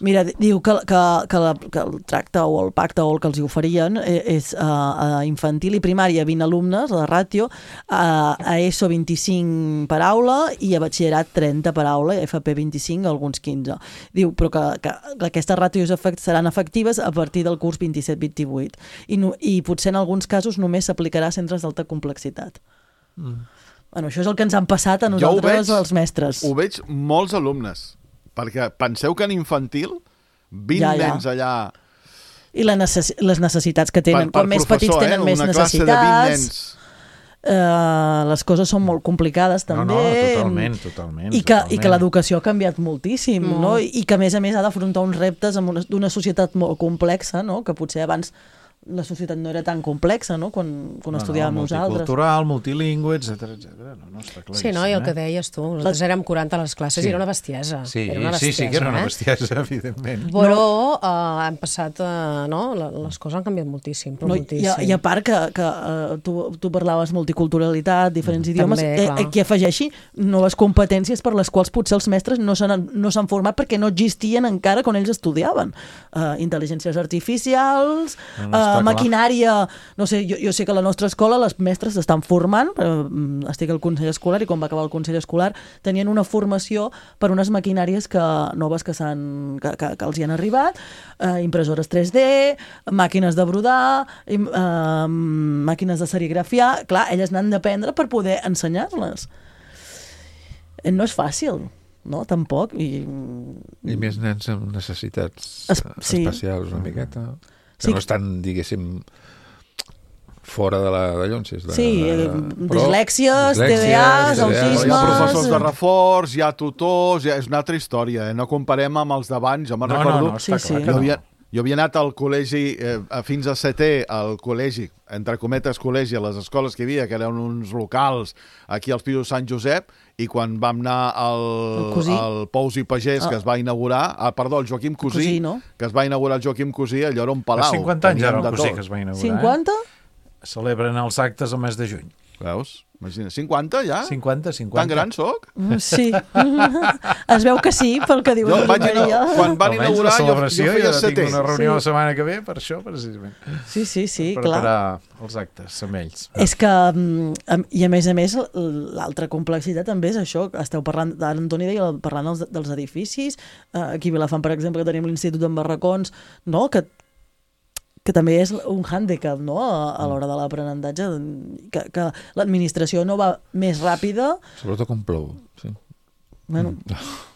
mira, diu que el tracte o el pacte o el que els hi oferien és a infantil i primària 20 alumnes, la ràtio, a ESO 25 per aula i a batxillerat 30 per aula, i a FP 25, alguns 15. Diu, però que aquestes ràtios seran efectives a partir del curs 27-28 i potser en alguns casos només s'aplicarà a centres d'alta complexitat. Bueno, això és el que ens han passat a nosaltres, els mestres. Ho veig molts alumnes, perquè penseu que en infantil 20 nens allà... I les necessitats que tenen, quan més petits tenen més necessitats, les coses són molt complicades també. Totalment. I que l'educació ha canviat moltíssim, no? I que a més ha d'afrontar uns reptes d'una societat molt complexa, no? Que potser abans la societat no era tan complexa, no?, quan estudiàvem nosaltres. Multicultural, multilingüe, etc. No, està claríssim. Sí, no? I el que deies tu, nosaltres érem 40 a les classes i era una bestiesa. Sí, que era una bestiesa, evidentment. Però han passat, les coses han canviat moltíssim, però moltíssim. I a part que tu parlaves multiculturalitat, diferents idiomes, que afegeixi noves competències per les quals potser els mestres no s'han format perquè no existien encara quan ells estudiaven. Intel·ligències artificials... maquinària, no sé, jo sé que a la nostra escola les mestres s'estan formant, estic al Consell Escolar i quan va acabar el Consell Escolar tenien una formació per unes maquinàries noves que els hi han arribat, impressores 3D, màquines de brodar, màquines de serigrafiar, clar, elles n'han d'aprendre per poder ensenyar-les. No és fàcil, no? Tampoc. I més nens amb necessitats especials una miqueta, que no estan, diguéssim, fora de la llonsis. Dislèxies, TDAs, autismes... Hi ha professors de reforç, hi ha tutors, és una altra història, no comparem amb els d'abans. Jo me'n recordo... Jo havia anat al col·legi, fins a setè, al col·legi, entre cometes col·legi, a les escoles que hi havia, que eren uns locals aquí als Pisos Sant Josep, i quan vam anar al Pous i Pagès, que es va inaugurar, el Joaquim Cosí, que es va inaugurar el Joaquim Cosí, allò era un palau. Fa 50 anys era el Cosí que es va inaugurar. 50? Celebren els actes al mes de juny. Veus? Imagina, 50 ja? 50. Tan gran soc? Sí. Es veu que sí, pel que diuen. Quan van inaugurar, jo feia setè. Tinc una reunió la setmana que ve, per això, precisament. Sí, clar. Per preparar els actes amb ells. És que, i a més, l'altra complexitat també és això. Esteu parlant, ara Antoni deia, parlant dels edificis. Aquí a Vilafant, per exemple, que tenim l'Institut en Barracons, no?, que també és un hàndicap, no?, a l'hora de l'aprenentatge, que l'administració no va més ràpida. Sobretot com plou, sí. Bueno.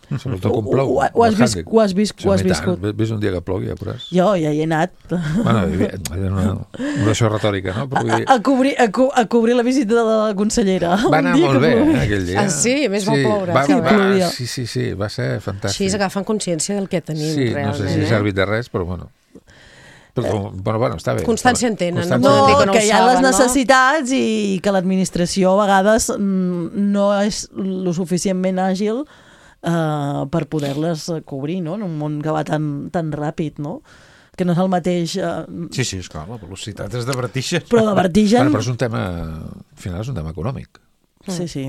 Sobretot com plou. Ho has viscut. Ves un dia que plogui, ja veuràs. Jo ja hi he anat. Bueno, una això retòrica, no? A cobrir la visita de la consellera. Va anar molt bé, aquell dia. Ah, sí? A més va ploure. Sí, va ser fantàstic. Així agafen consciència del que tenim, realment. Sí, no sé si ha servit de res, però bueno. Bueno, està bé. Constància en tenen. Que hi ha les necessitats i que l'administració a vegades no és lo suficientment àgil per poder-les cobrir, no?, en un món que va tan ràpid, no?, que no és el mateix... Sí, esclar, la velocitat és de vertigen. Però de vertigen... Però és un tema... Al final és un tema econòmic. Sí.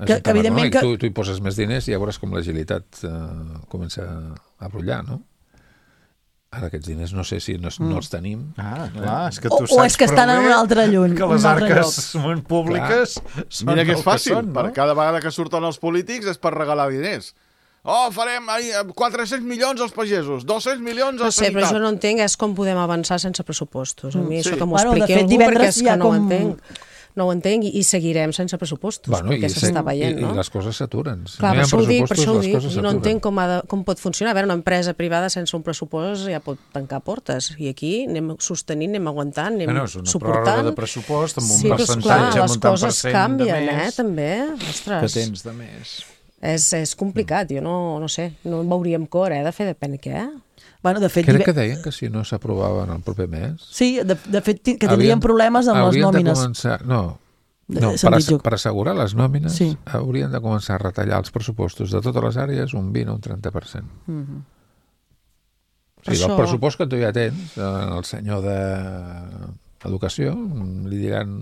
Que evidentment que... Tu hi poses més diners i ja veuràs com l'agilitat comença a brollar, no? Ara aquests diners no sé si no els tenim. Ah, clar, és que tu saps o és que estan en un altre lluny. Que les arques públiques són mira que és fàcil, per cada vegada que surten els polítics és per regalar diners. Farem 400 milions als pagesos, 200 milions a sanitat. No sé, però jo no entenc és com podem avançar sense pressupostos. A mi això que m'ho expliqui algú, perquè és que no ho entenc. No ho entenc i seguirem sense pressupostos, perquè s'està veient, no? I les coses s'aturen. Clar, per això ho dic, i no entenc com pot funcionar. A veure, una empresa privada sense un pressupost ja pot tancar portes, i aquí anem sostenint, anem aguantant, anem suportant. És una pròrroga de pressupost amb un percentatge, amb un tant per cent de més. També, que tens de més. És complicat, jo no sé, no veuríem cor, de fer depèn què. Bueno, de fet, crec que deien que si no s'aprovaven el proper mes... Sí, de fet, que tindrien problemes amb les nòmines. Per assegurar les nòmines haurien de començar a retallar els pressupostos de totes les àrees un 20 o un 30%. O sigui, el pressupost que tu ja tens, el senyor d'Educació, li diran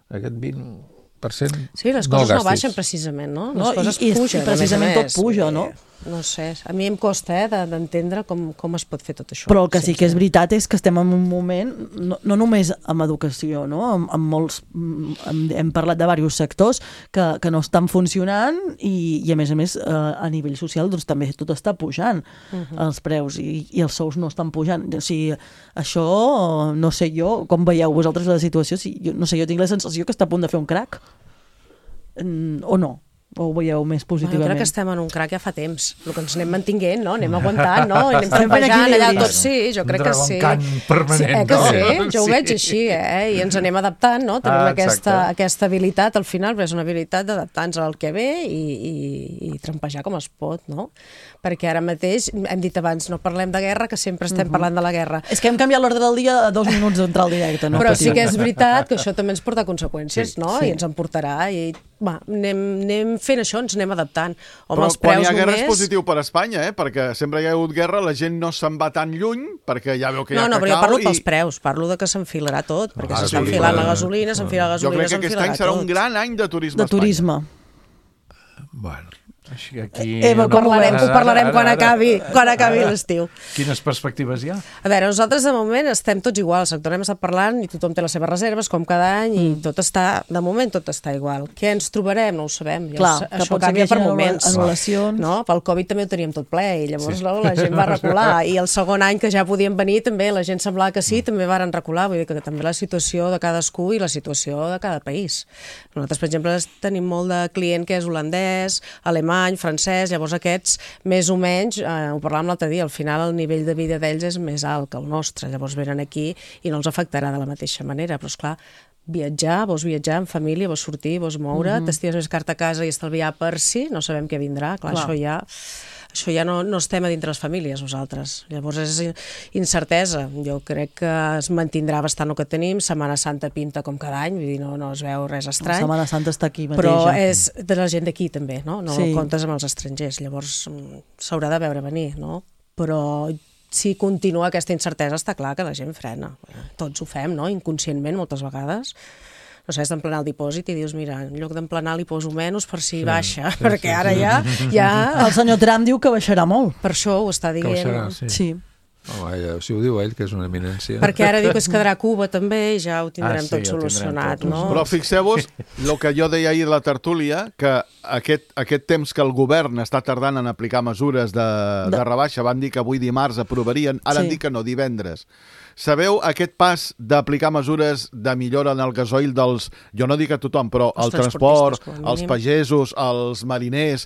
aquest 20%... Sí, les coses no baixen precisament, no? Les coses pugen. I precisament tot puja, no? No sé, a mi em costa d'entendre com es pot fer tot això. Però el que sí que és veritat és que estem en un moment, no només amb educació, no? Amb molts, hem parlat de diversos sectors que no estan funcionant i a més a nivell social doncs també tot està pujant, els preus i els sous no estan pujant. O sigui, això no sé jo, com veieu vosaltres la situació, no sé, jo tinc la sensació que està a punt de fer un crac. O no? O ho veieu més positivament? Jo crec que estem en un crac ja fa temps. El que ens anem mantinguent, no? Anem aguantant, no? I anem trampejant allà tot, sí, jo crec que sí. Un dragón permanent, que sí, jo ho veig així, I ens anem adaptant, no? Tenim aquesta habilitat al final, però és una habilitat d'adaptar-nos al que ve i trampejar com es pot, no? Perquè ara mateix, hem dit abans, no parlem de guerra, que sempre estem parlant de la guerra. És que hem canviat l'ordre del dia a 2 minuts d'entrar al directe, no? Però sí que és veritat que això també ens porta conseqüències, no? I ens en portarà, i anem fent això, ens anem adaptant. Però quan hi ha guerra és positiu per Espanya, perquè sempre hi ha hagut guerra, la gent no se'n va tan lluny, perquè ja veu que hi ha cacau. No, però jo parlo pels preus, parlo de que s'enfilarà tot, perquè s'està enfilant la gasolina, s'enfila la gasolina, jo crec que aquest any serà un gran any de turisme a Espanya. De turisme. Bueno, Ho parlarem quan acabi l'estiu. Quines perspectives hi ha? A veure, nosaltres de moment estem tots igual, el sector hem estat parlant i tothom té les seves reserves, com cada any, i de moment tot està igual. Què ens trobarem? No ho sabem. Això canvia per moments. Pel Covid també ho teníem tot ple, i llavors la gent va recular, i el segon any que ja podien venir també la gent semblava que sí, també varen recular, vull dir que també la situació de cadascú i la situació de cada país. Nosaltres, per exemple, tenim molt de client que és holandès, alemany, francès, llavors aquests, més o menys, ho parlàvem l'altre dia, al final el nivell de vida d'ells és més alt que el nostre, llavors venen aquí i no els afectarà de la mateixa manera, però esclar, vols viatjar en família, vols sortir, vols moure, t'estives més carta a casa i estalviar per si, no sabem què vindrà, clar, això ja no estem a dintre les famílies nosaltres, llavors és incertesa. Jo crec que es mantindrà bastant el que tenim, Setmana Santa pinta com cada any, vull dir, no es veu res estrany. Setmana Santa està aquí mateix. Però és de la gent d'aquí també, no comptes amb els estrangers, llavors s'haurà de veure venir, no? Però si continua aquesta incertesa està clar que la gent frena, tots ho fem, no? Inconscientment moltes vegades. No sé, has d'emplenar el dipòsit i dius, mira, en lloc d'emplenar li poso menys per si baixa, perquè ara ja... El senyor Trump diu que baixarà molt. Per això ho està dient. Que baixarà, sí. Si ho diu ell, que és una eminència. Perquè ara diu que es quedarà a Cuba també i ja ho tindrem tot solucionat, no? Però fixeu-vos el que jo deia ahir de la tertúlia, que aquest temps que el govern està tardant en aplicar mesures de rebaixa, van dir que avui dimarts aprovarien, ara han dit que no, divendres. Sabeu aquest pas d'aplicar mesures de millora en el gasoil dels... Jo no dic a tothom, però el transport, els pagesos, els mariners...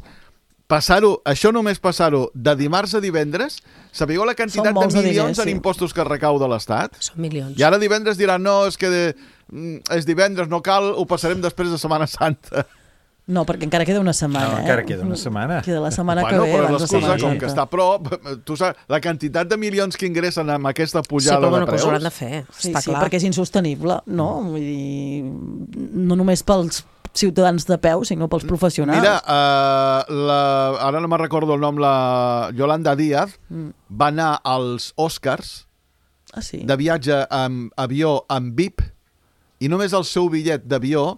Això només passar-ho de dimarts a divendres, sabeu la quantitat de milions en impostos que recauda l'Estat? Són milions. I ara divendres diran, no, és que és divendres, no cal, ho passarem després de Setmana Santa. No, perquè encara queda una setmana. No, encara queda una setmana. Queda la setmana que ve. Però l'excusa, com que està a prop, tu saps, la quantitat de milions que ingressen amb aquesta pujada de preus... Sí, però que ho hauran de fer, està clar. Sí, perquè és insostenible, no? Vull dir, no només pels ciutadans de peu, sinó pels professionals. Mira, ara no me'n recordo el nom, la Yolanda Díaz va anar als Oscars de viatge amb avió amb VIP i només el seu bitllet d'avió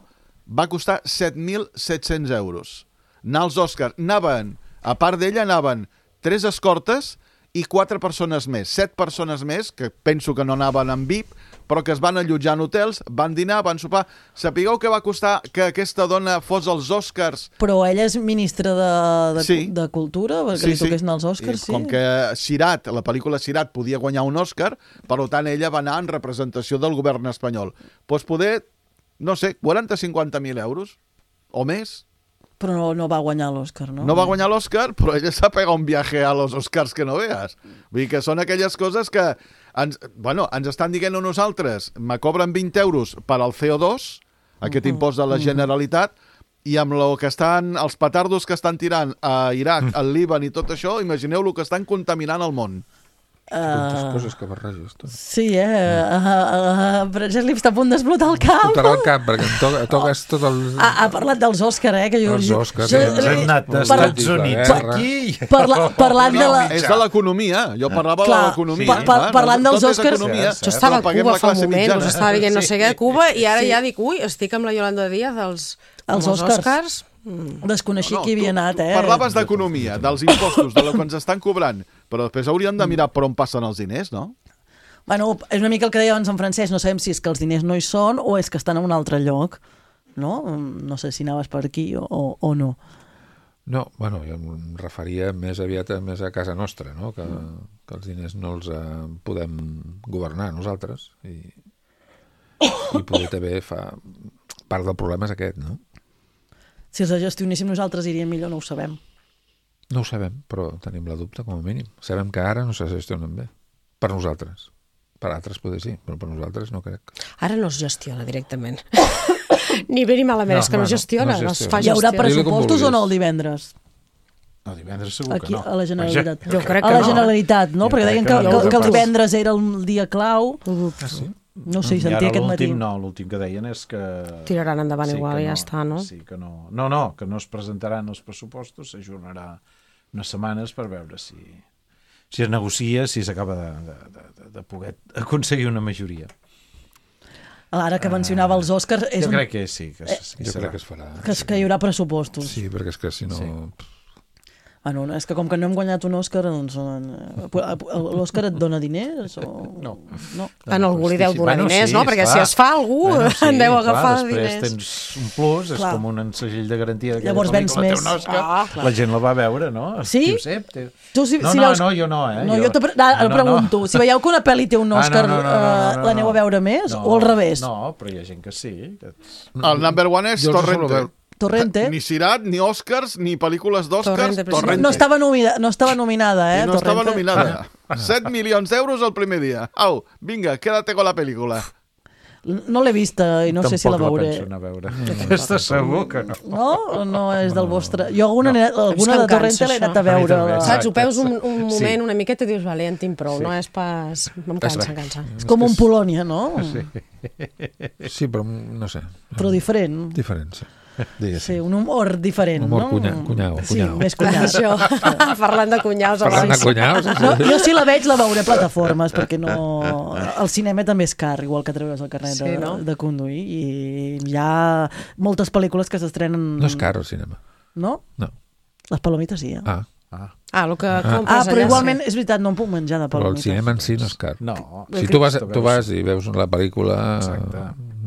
va costar 7.700 euros. Anar als Oscars. A part d'ella, anaven 3 escortes i 4 persones més. 7 persones més, que penso que no anaven amb VIP, però que es van allotjar en hotels, van dinar, van sopar. Sapigueu que va costar que aquesta dona fos als Oscars? Però ella és ministra de Cultura, perquè li toquessin els Oscars, sí. Com que Sirat, la pel·lícula Sirat, podia guanyar un Oscar, per tant, ella va anar en representació del govern espanyol. Doncs poder, no sé, 40-50.000 euros o més. Però no va guanyar l'Òscar, no? No va guanyar l'Òscar, però ella s'ha pegat un viaje a los Oscars que no veas. Vull dir que són aquelles coses que ens estan dient a nosaltres, me cobren 20 euros per al CO2, aquest impost de la Generalitat, i amb el que estan, els petardos que estan tirant a Iraq, al Líban i tot això, imagineu el que estan contaminant el món. Tantes coses que barreges, tu. Sí, però ja li està a punt d'explotar el cap. Explotarà el cap, perquè em toques tot el... Ha parlat dels Òscar, que jo... Els Òscar. Ens hem anat als Estats Units aquí. Parlant de la... És de l'economia, jo parlava de l'economia. Parlant dels Òscars... Jo estava a Cuba fa un moment, us estava dient no sé què a Cuba, i ara ja dic, ui, estic amb la Yolanda Díaz als Òscars. Desconeixia qui havia anat, Parlaves d'economia, dels impostos, de lo que ens estan cobrant, però després hauríem de mirar per on passen els diners, no? Bueno, és una mica el que deia abans en francès, no sabem si és que els diners no hi són o és que estan en un altre lloc, no? No sé si anaves per aquí o no. No, bueno, jo em referia més aviat més a casa nostra, no? Que els diners no els podem governar nosaltres i poder també part del problema és aquest, no? Si els gestionéssim nosaltres iria millor, no ho sabem. No ho sabem, però tenim la dubte com a mínim. Sabem que ara no se gestionen bé. Per nosaltres. Per altres poder sí, però per nosaltres no crec. Ara no es gestiona directament. Ni bé ni malament, és que no gestiona, no es fa gestionar. Hi haurà pressupostos o no el divendres? No, divendres segur que no. Aquí, a la Generalitat. Jo crec que a la Generalitat, no? Perquè deien que el divendres era el dia clau. Ah, sí? No sé, sentia aquest matí. L'últim que deien és que... Tiraran endavant igual i ja està, no? Sí, que no. No, que no es presentaran els pressupostos, s'ajornarà unes setmanes per veure si es negocia, si s'acaba de poder aconseguir una majoria. Ara que mencionava els Òscars... Jo crec que sí. Jo crec que es farà. Que hi haurà pressupostos. Sí, perquè és que si no... És que com que no hem guanyat un Òscar, doncs l'Òscar et dona diners? No. En algú li deu donar diners, no? Perquè si es fa algú en deu agafar diners. Després tens un plus, és com un segell de garantia que llavors vens més. La gent la va veure, no? Sí? No, jo no, No, jo pregunto, si veieu que una pel·li té un Òscar, l'aneu a veure més o al revés? No, però hi ha gent que sí. El number one és Torrente. Torrente. Ni Cirat, ni Oscars, ni pel·lícules d'Oscars. Torrente. No estava nominada, I no estava nominada. 7 milions d'euros el primer dia. Au, vinga, quédate con la pel·lícula. No l'he vista i no sé si la veuré. Tampoc la penso anar a veure. Aquesta segur que no. No? No és del vostre... Jo alguna de Torrente l'he anat a veure. Saps, ho veus un moment, una miqueta, i dius, vale, en tinc prou. No és pas... Em cansa. És com un Polònia, no? Sí, però no sé. Però diferent. Diferent, sí. Sí, un humor diferent, no? Cunyau. Sí, més cunyau. Això, parlant de cunyaus. Jo si la veig la veuré a plataformes, perquè no... El cinema també és car, igual que treure's el carnet de conduir, i hi ha moltes pel·lícules que s'estrenen... No és car el cinema. No? No. Les palomites sí, Ah, el que compres allà. Però igualment, és veritat, no em puc menjar de palomites. Però el cinema en si no és car. No. Si tu vas i veus la pel·lícula,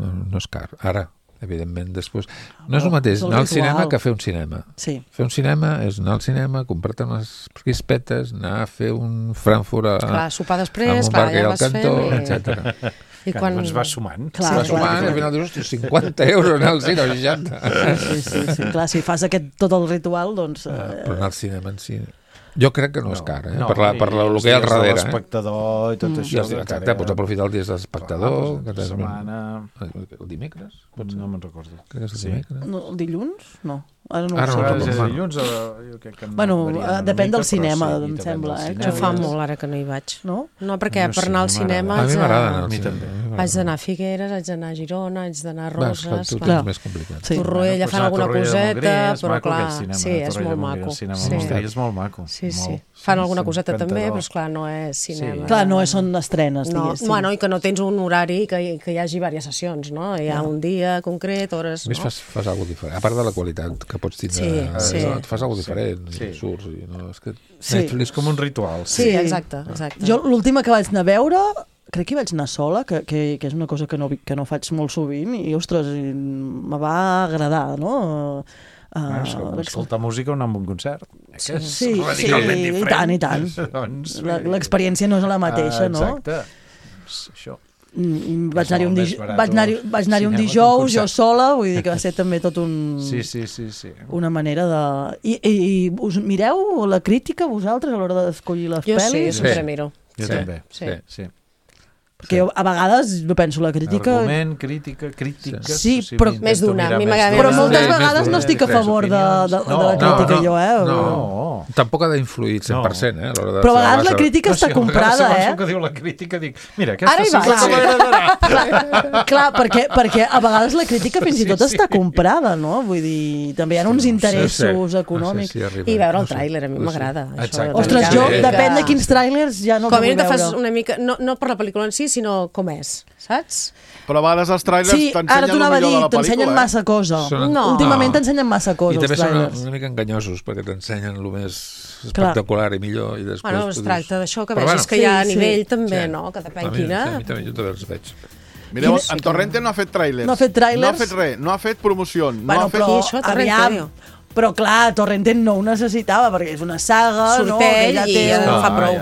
no és car. Ara, evidentment, després... No és el mateix anar al cinema que fer un cinema. Sí. Fer un cinema és anar al cinema, comprar-te unes crispetes, anar a fer un Frankfurt sopar després, ja vas fent, etc. I quan es va sumant. Al final dius, 50 euros anar al cinema, 60. Sí. Clar, si fas tot el ritual, doncs... Però anar al cinema en si... Jo crec que no és car, per el que hi ha al darrere. L'espectador i tot això. Exacte, pots aprofitar el dia de l'espectador. La setmana... El dimecres? No me'n recordo. Crec que és el dimecres. El dilluns? No. Ara no ho sé. Dilluns, bueno, depèn del cinema, em sembla. Jo fa molt ara que no hi vaig. No, perquè per anar al cinema... A mi m'agrada anar al cinema. Vaig d'anar a Figueres, vaig d'anar a Girona, vaig d'anar a Roses... Tot és més complicat. Torroella fan alguna coseta, però clar... Sí, és molt maco. És molt maco. Sí. Fan alguna coseta també, però esclar, no és cinema. Clar, no són estrenes, diguéssim. Bueno, i que no tens un horari que hi hagi diverses sessions, no? Hi ha un dia concret, hores... A més, fas alguna cosa diferent. A part de la qualitat que pots tindre, et fas alguna cosa diferent, surts... Netflix és com un ritual. Sí, exacte. Jo l'última que vaig anar a veure... Crec que hi vaig anar sola, que és una cosa que no faig molt sovint, i, ostres, me va agradar, no? Escoltar música o anar a un concert. Sí, i tant. L'experiència no és la mateixa, no? Exacte. Això. Vaig anar-hi un dijous, jo sola, vull dir que va ser també tot un... Sí. Una manera de... I us mireu la crítica, vosaltres, a l'hora d'escollir les pel·lis? Jo sí, sempre miro. Jo també, sí. Perquè jo a vegades penso la crítica... Argument, crítica... Sí, però més d'una. Però moltes vegades no estic a favor de la crítica, jo, No, tampoc ha d'influir 100%, Però a vegades la crítica està comprada, Segons el que diu la crítica, dic, mira, aquesta sí que m'agradarà. Clar, perquè a vegades la crítica fins i tot està comprada, no? Vull dir, també hi ha uns interessos econòmics. I veure el tràiler, a mi m'agrada. Ostres, jo, depèn de quins tràilers, ja no el vull veure. Com a mínim una mica, no per la pel·lícula en si, sinó com és, saps? Però a vegades els tràilers t'ensenyen el millor de la pel·lícula. T'ensenyen massa cosa. Últimament t'ensenyen massa cosa, els tràilers. I també són una mica enganyosos, perquè t'ensenyen el més espectacular i millor. Bueno, es tracta d'això, que vegis que hi ha nivell també, no? Que depèn quina. A mi també, jo també els veig. Mireu, en Torrente no ha fet tràilers. No ha fet tràilers. No ha fet res, no ha fet promoció. Però clar, Torrente no ho necessitava, perquè és una saga, Sortell, no? I no fa prou.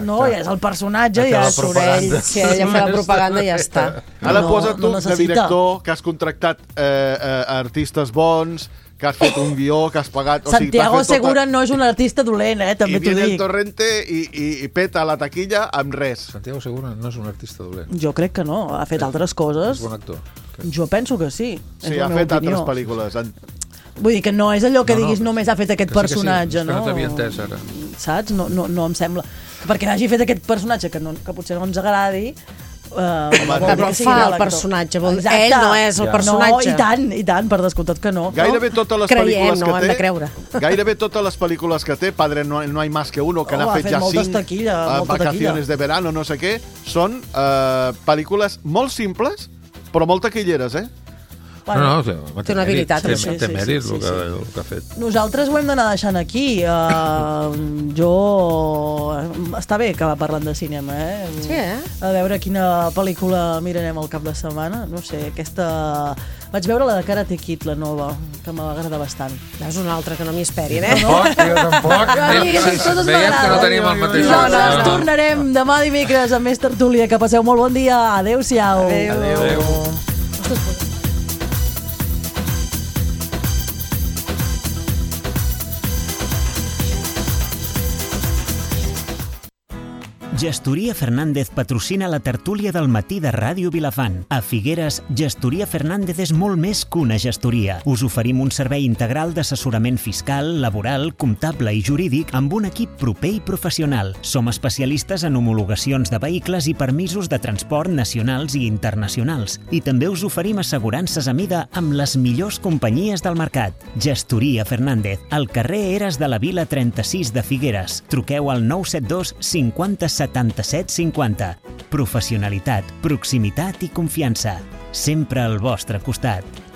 No, ja és el personatge, ja és Sorell. Si ella fa la propaganda, ja està. Ara posa't tu de director, que has contractat artistes bons, que has fet un guió, que has pagat... Santiago Segura no és un artista dolent, també t'ho dic. I viene el Torrente i peta la taquilla amb res. Santiago Segura no és un artista dolent. Jo crec que no, ha fet altres coses. És bon actor. Jo penso que sí. Sí, ha fet altres pel·lícules. Vull dir que no és allò que diguis només ha fet aquest personatge, no? No t'havia entès, ara. Saps? No em sembla. Perquè hagi fet aquest personatge que potser no ens agradi... Però fa el personatge, ell no és el personatge. No, i tant, per descomptat que no. Gairebé totes les pel·lícules que té... hem de creure. Gairebé totes les pel·lícules que té, Padre no hay más que uno, que n'ha fet ja 5, Vacaciones de verano, no sé què, són pel·lícules molt simples, però molt taquilleres, No, té una habilitat. Té mèrit el que ha fet. Nosaltres ho hem d'anar deixant aquí. Està bé que va parlant de cinema, Sí, A veure quina pel·lícula mirarem al cap de setmana. No sé, aquesta... Vaig veure la de Karate Kid, la nova, que m'agrada bastant. És una altra que no m'hi esperin, Tampoc. Veiem que no tenim el mateix. Nosaltres tornarem demà dimecres amb més tertúlia. Que passeu molt bon dia. Adéu-siau. Adéu. Gestoria Fernández patrocina la tertúlia del matí de Ràdio Vilafant. A Figueres, Gestoria Fernández és molt més que una gestoria. Us oferim un servei integral d'assessorament fiscal, laboral, comptable i jurídic amb un equip proper i professional. Som especialistes en homologacions de vehicles i permisos de transport nacionals i internacionals. I també us oferim assegurances a mida amb les millors companyies del mercat. Gestoria Fernández, al carrer Eres de la Vila 36 de Figueres. Truqueu al 972 50 77 50. Professionalitat, proximitat i confiança. Sempre al vostre costat.